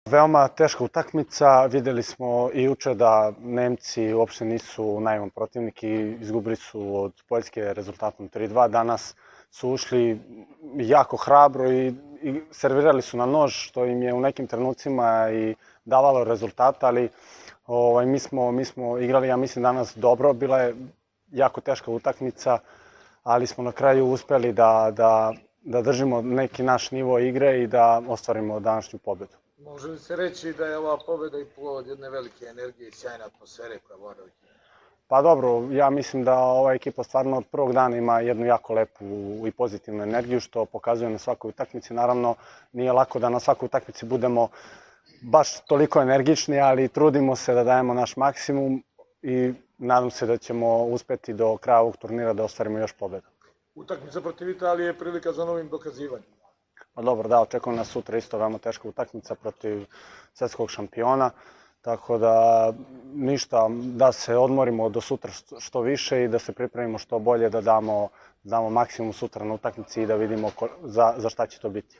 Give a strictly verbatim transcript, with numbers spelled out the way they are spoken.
Veoma teška utakmica, videli smo i juče da Nemci uopšte nisu naivan protivnik i izgubili su od Poljske rezultatom tri dva. Danas su ušli jako hrabro i, i servirali su na nož, što im je u nekim trenucima i davalo rezultata, ali ovaj, mi, smo, mi smo igrali, ja mislim, danas dobro. Bila je jako teška utakmica, ali smo na kraju uspeli da, da, da držimo neki naš nivo igre i da ostvarimo današnju pobedu. Može li se reći da je ova pobeda i plod jedne velike energije i sjajne atmosfere koja vlada u ekipi? Pa dobro, ja mislim da ova ekipa stvarno od prvog dana ima jednu jako lepu i pozitivnu energiju, što pokazuje na svakoj utakmici. Naravno, nije lako da na svakoj utakmici budemo baš toliko energični, ali trudimo se da dajemo naš maksimum i nadam se da ćemo uspeti do kraja ovog turnira da ostvarimo još pobedu. Utakmica protiv Italije je prilika za novim dokazivanjem. Pa dobro, da, očekujem nas sutra isto veoma teška utakmica protiv svetskog šampiona, tako da ništa, da se odmorimo do sutra što više i da se pripremimo što bolje, da damo, damo maksimum sutra na utakmici i da vidimo ko, za, za šta će to biti.